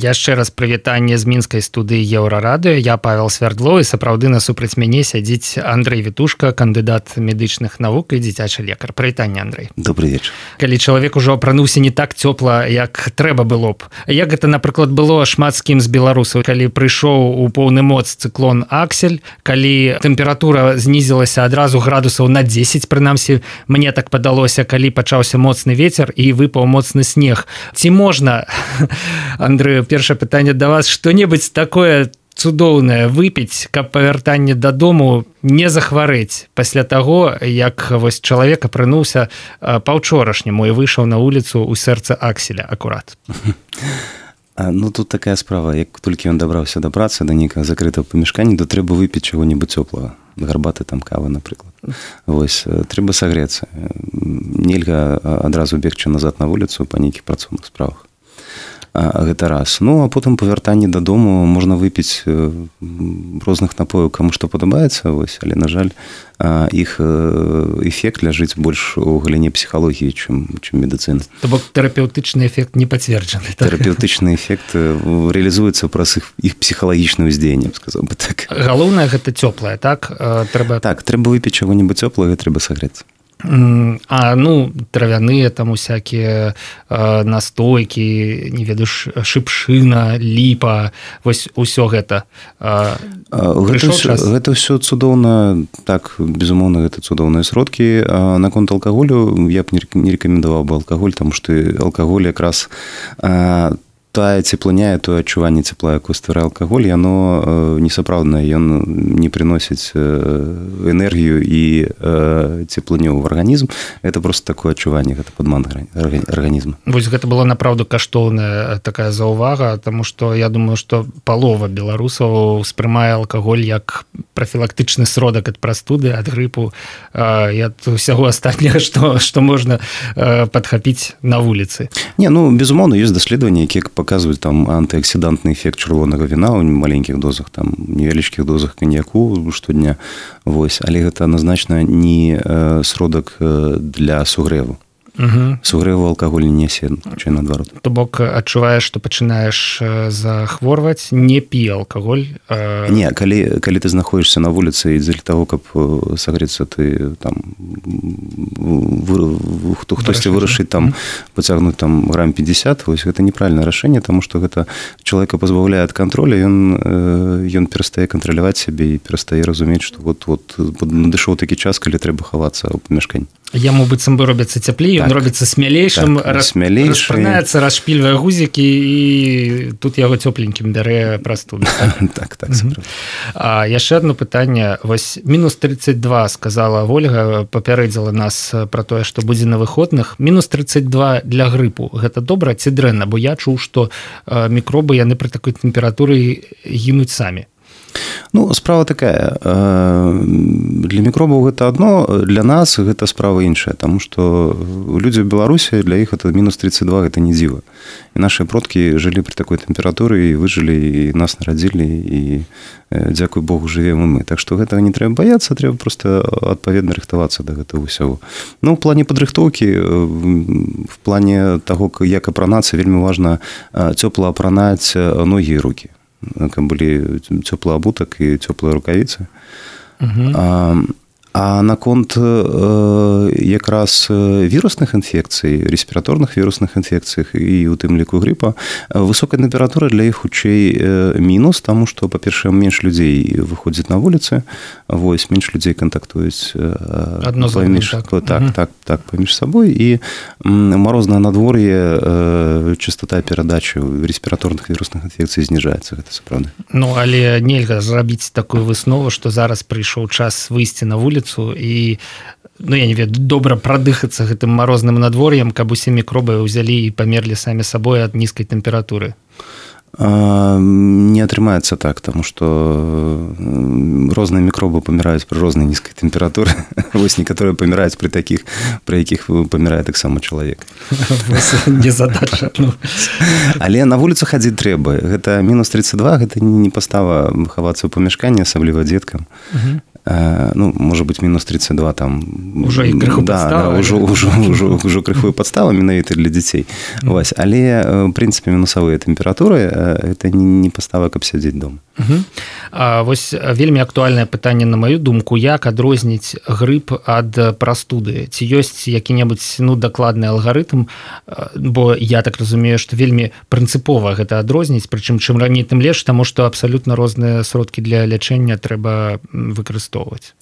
Яшчэ раз прывітанне з мінскай студыі Еўрарадыё. Я Павел Свярдло, і сапраўды насупраць мяне сядзіць Андрэй Вітушка, кандыдат медычных навук і дзіцячы лекар. Прывітанне, Андрэй. Добрый вечар. Калі чалавек ужо апрануўся не так цёпла, як трэба было б. Як гэта, напрыклад, было шмат з кім з беларусаў, калі прыйшоў у поўны моц цыклон Аксель, калі тэмпература знізілася адразу градусаў на 10, прынамсі, мне так падалося, калі пачаўся моцны вецер і выпаў моцны снег. Ці можна, Андрэй, першае пытанне да вас, што-небудзь такое цудоўнае выпіць, каб па вяртанні дадому не захварэць пасля таго, як вось чалавек апрануўся паўчорашняму і выйшаў на вуліцу ў сэрца Акселя акурат. Ну, тут такая справа, як толькі ён дабраўся да працы, да нейкага закрытага памяшкання, то трэба выпіць чаго-небудзь цёплага, гарбаты, там, кавы, напрыклад. Вось, трэба сагрэцца. Нельга адразу бегчы назад на вуліцу па нейкіх працоўных справах. Гэта раз. Ну, а потым па вяртанні дадому можна выпіць розных напояў, каму што падабаецца, вось, але, на жаль, іх эфект ляжыць больш у галіне псіхалогіі, чым медыцыны. То бок тэрапеўтычны эфект не пацверджаны. Так? Тэрапеўтычны эфект рэалізуецца праз іх псіхалагічнае ўздзеянне, сказаў бы так. Галоўнае гэта цёплае, так? Так, трэба выпіць чаго-небудзь цёплага, трэба сагрэцца. А, ну, травяныя там усякія настойкі, не ведаю, шыпшына, ліпа, вось усё гэта. Гэта ўсё цудоўна, так, безумоўна, гэта цудоўныя сродкі. Наконт алкаголю я б не рэкамендаваў бы алкаголь, таму што алкаголь якраз тая цеплыня, тое адчуванне цепла, якое стварае алкаголь, яно несапраўднае, ён не прыносіць энергію і цеплыню ў арганізм. Гэта проста такое адчуванне, гэта падман арганізма. Вось гэта была направду каштоўная такая заўвага, таму што я думаю, што палова беларусаў успрымае алкаголь як прафілактычны сродак ад прастуды, ад грыпу і ад усяго астатняга, што можна падхапіць на вуліцы. Не, ну, безумоўна, ёсць даследаванні, якія паказваюць там антыаксідантны эфект чырвонага віна ў маленькіх дозах, там невялічкіх дозах каньяку штодня. Вось, але гэта адназначна не сродак для сугрэву. Сугрэву алкаголь не нясе, хутчэй наадварот. То бок адчуваеш, што пачынаеш захворваць, не пі алкаголь. Не, калі ты знаходзішся на вуліцы і дзеля таго, каб сагрэцца, ты там хтосьці вырашыць там пацягнуць там грам 50, вось гэта неправільнае рашэнне, таму што гэта чалавека пазбаўляе ад контроля, ён перастае кантраляваць сябе і перастае разумець, што вот надышоў такі час, калі трэба хавацца ў памяшканні. Яму быццам бы робіцца цяплей, ён робіцца смялейшым, распранаецца, расшпільвае гузікі, і тут яго цёпленькім бярэ прастуду. Так. Яшчэ одно пытанне. Вось мінус 32, сказала Вольга, папярэдзіла нас пра тое, што будзе на выходных. Мінус 32 для грыпу. Гэта добра ці дрэнна? Бо я чуў, што мікробы, яны пры такой тэмпературы гінуць самі. Ну, справа такая. Для мікробаў гэта адно, для нас гэта справа іншая, таму што людзі ў Беларусі, для іх это мінус 32, гэта не дзіва. І нашыя продкі жылі пры такой тэмпературы і выжылі, і нас нарадзілі, і, дзякуй Богу, жывем і мы. Так што гэтага не трэба баяцца, трэба проста адпаведна рыхтавацца да гэтага ўсяго. Ну, ў плане падрыхтоўкі, в плане таго, як апранацца, вельмі важна цёпла апранаць ногі і рукі, каб былі цёплы абутак і цёплыя рукавіцы. А наконт якраз вірусных інфекцый, рэспіраторных вірусных інфекцыях і у тым ліку грыпа, высокая тэмпература для іх хутчэй мінус, таму што, па-першае, менш людзей выходзіць на вуліцы, вось, менш людзей кантактуюць паміж сабой, і марознае надвор'е, частота перадачы рэспіраторных вірусных інфекцый зніжаецца, гэта сапраўды. Ну, але нельга зрабіць такую выснову, што зараз прыйшоў час выйсці на вуліцу і, ну, я не ведаю, добра прадыхацца гэтым марозным надвор'ем, каб усе мікробы ўзялі і памерлі самі сабой ад нізкай тэмпературы. Не атрымаецца так, таму што розныя мікробы паміраюць пры рознай нізкай тэмпературы. Вось некаторыя паміраюць пры такіх, пры якіх памірае таксама чалавек. Незадача. Але на вуліцу хадзіць трэба. Гэта мінус 32, гэта не пастава хавацца ў памяшканні, асабліва дзеткам. ну, может быть, минус 32 там... Уже і крыху падстава. Да, уже крыху падстава менавіта для дзяцей. Вось. Але, в принципе, мінусавыя тэмпературы это не пастава, каб сядзець дома. Вось вельмі актуальнае пытанне, на маю думку, як адрозніць грып ад прастуды? Ці ёсць які-небудзь дакладны алгарытм? Бо я так разумею, што вельмі прынцыпова гэта адрозніць, прычым чым раней, тым лепш, таму што абсалютна розныя сродкі для лячэння трэба выкарыстоўваць.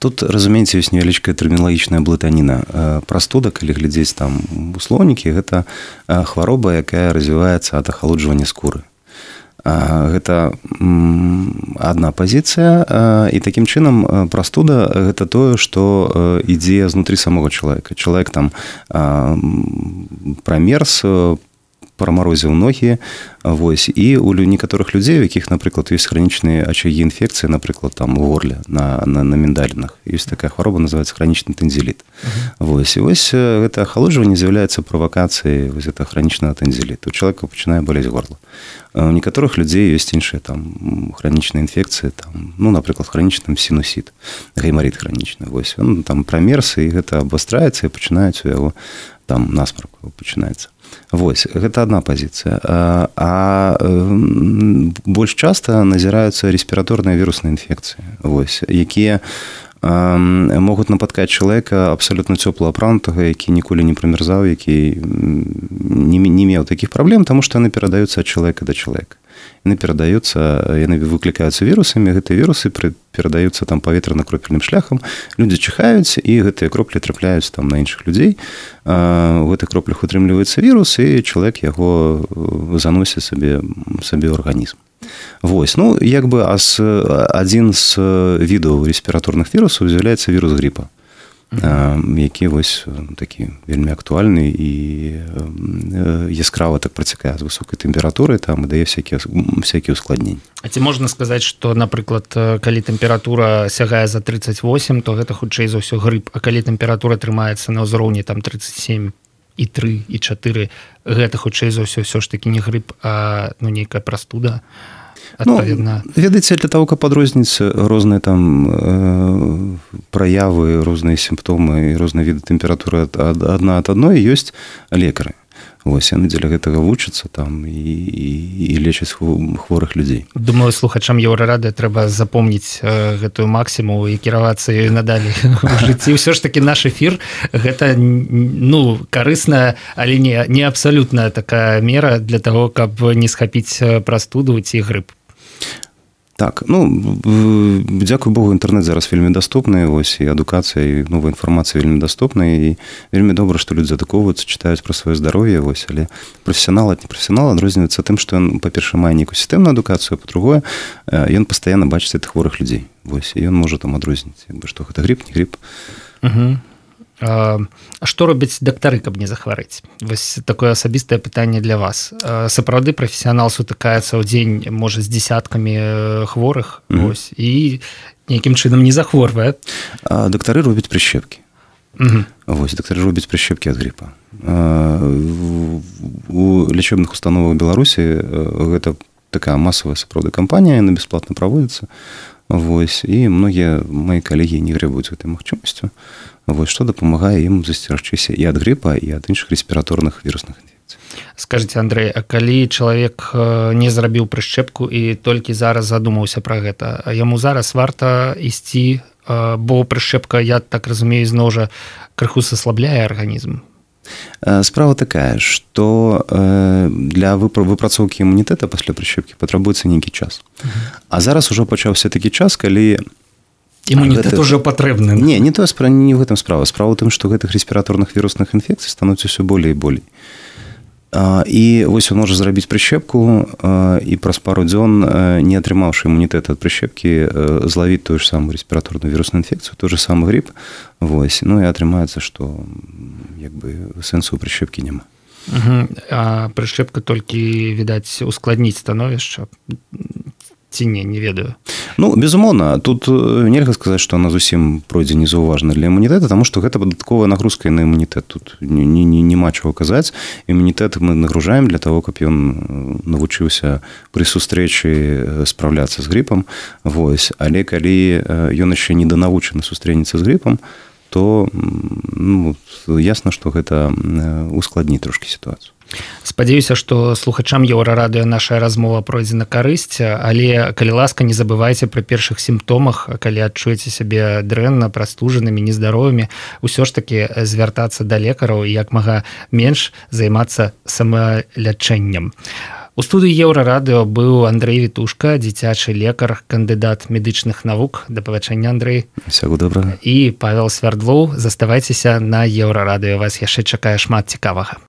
Тут, разумееце, ёсць невялічкая тэрміналагічная блытаніна. Прастуда, калі глядзець там у слоўнікі, гэта хвароба, якая развіваецца ад ахалоджвання скуры. Гэта адна пазіцыя, і такім чынам прастуда гэта тое, што ідзе знутры самога чалавека. Чалавек там прамерз, прамарозіў ногі, вось, і у некаторых людзей, у якіх, напрыклад, ёсць хранічныя ачагі інфекцыі, напрыклад, там у горле, на міндалінах. Ёсць такая хвароба, называецца хранічны тэнзіліт. Вось, і вось гэта ахалоджванне з'яўляецца правакацыяй вось гэта хранічнага тэнзіліту. У чалавека пачынае балець горла. У некаторых людзей ёсць іншыя там хранічныя інфекцыі, там, ну, напрыклад, хранічны сінусіт, гаймарыт хранічны. Вось, он там прамерз, і гэта абвастраецца, і пачынаюць у яго там насмарк пачынаецца. Вось, гэта адна пазіцыя. Больш часта назіраюцца рэспіраторныя вірусныя інфекцыі, вось, якія могуць напаткаць чалавека абсалютна цёпла апранутага, які ніколі не прамерзаў, які не меў такіх праблем, таму што яны перадаюцца ад чалавека да чалавека. Яны выклікаюцца вірусамі, гэтыя вірусы перадаюцца там паветрана-кропельным шляхам, людзі чихаюць, і гэтыя кроплі трапляюць там на іншых людзей. У гэтых кроплях утрымліваецца вірус, і чалавек яго заносіць сабе ў арганізм. Вось, ну, як бы адзін з відаў рэспіраторных вірусаў з'яўляецца вірус гріпа, які вось такі вельмі актуальны і яскрава так працякае з высокай тэмпературай, там і дае всякія ускладненні. А ці можна сказаць, што, напрыклад, калі тэмпература сягае за 38, то гэта хутчэй за ўсё грып, а калі тэмпература трымаецца на ўзроўні там 37 і 3, і 4, гэта хутчэй за ўсё ж такі не грып, а нейкая прастуда. Ну, ведаеце, для того, каб адрозніць розныя там праявы, розныя сімптомы і розныя віды тэмпературы адна ад адной, ёсць лекары. Вось, яны дзеля гэтага вучацца там і лечаць хворых людзей. Думаю, слухачам Еўрарадыё трэба запомніць гэтую максіму і кіравацца ёй надалей у жыцці. Ўсё ж такі наш эфір гэта, ну, карысная, але не абсалютная такая мера для того, каб не схапіць прастуду ці грып. Так, ну, дзякуй Богу, інтэрнэт зараз вельмі даступны, вось, і адукацыя, і новая інфармацыя вельмі даступна, і вельмі добра, што людзі адукоўваюцца, чытаюць пра сваё здароўе, вось, але прафесіянал ад непрафесіянала адрозніваецца тым, што ён, па-першае, мае нейкую сістэмную адукацыю, а па-другое, ён пастаянна бачыць гэтых хворых людзей, вось, і ён можа там адрозніць, што гэта грып, не грып. А што робяць дактары, каб не захварэць? Вось такое асабістае пытанне для вас. Сапраўды прафесіянал сутыкаецца ў дзень, можа, з дзесяткамі хворых, вось, і нейкім чынам не захворвае. Дактары робяць прышчэпкі. Вось, дактары робяць прышчэпкі ад грыпа. У лячэбных установах Беларусі гэта такая масавая сапраўды кампанія, яна бясплатна праводзіцца. Вось, і многія мои калегі не грэбуюць гэтай магчымасцю. Вось, што дапамагае ім засцерагчыся і ад грыпа, і ад іншых рэспіраторных вірусных інфекцый. Скажыце, Андрэй, а калі чалавек не зрабіў прышчэпку і толькі зараз задумаўся пра гэта, яму зараз варта ісці, бо прышчэпка, я так разумею, зноў жа крыху саслабляе арганізм? Справа такая, што для выпрацоўкі імунітэта пасля прышчэпкі патрабуецца нейкі час. А зараз ужо пачаўся такі час, калі імунітэт ужо патрэбны. Не ў гэтым справа. Справа ў тым, што гэтых рэспіраторных вірусных інфекцый становіцца ўсё болей і болей. І вось он можа зрабіць прышчэпку і праз пару дзён, не атрымаўшы імунітэт ад прышчэпкі, злавіць тую ж самую рэспіраторную вірусную інфекцыю, той же самы грып. Вось, ну і атрымаецца, што як бы сэнсу ў прышчэпкі няма. А прышчэпка толькі, відаць, ускладніць становішча? Ці не ведаю. Ну, безумоўна, тут нельга сказаць, што она зусім пройдзе незаўважна для імунітэта, таму што гэта дадатковая нагрузка на імунітэт. Тут няма чаго казаць. Імунітэт мы нагружаем для того, каб ён навучыўся пры сустрэчы спраўляцца з грыпам. Вось. Але калі ён яшчэ не данавучаны сустрэнецца з грыпам, то ясна, што гэта ускладніць трошкі сітуацыю. Спадзяюся, што слухачам Еўрарадыё наша размова пройдзе на карысць, але, калі ласка, не забывайце пра першых сімптомах, калі адчуеце сябе дрэнна, прастужанымі, нездаровымі, усё ж такі звяртацца да лекараў і як мага менш займацца самалячэннем. У студыі Еўрарадыё быў Андрэй Вітушка, дзіцячы лекар, кандыдат медычных навук. Да пабачэння, Андрэй. Усяго добрага. І Павел Свярдлоў. Заставайцеся на Еўрарадыё. Вас яшчэ чакае шмат цікавага.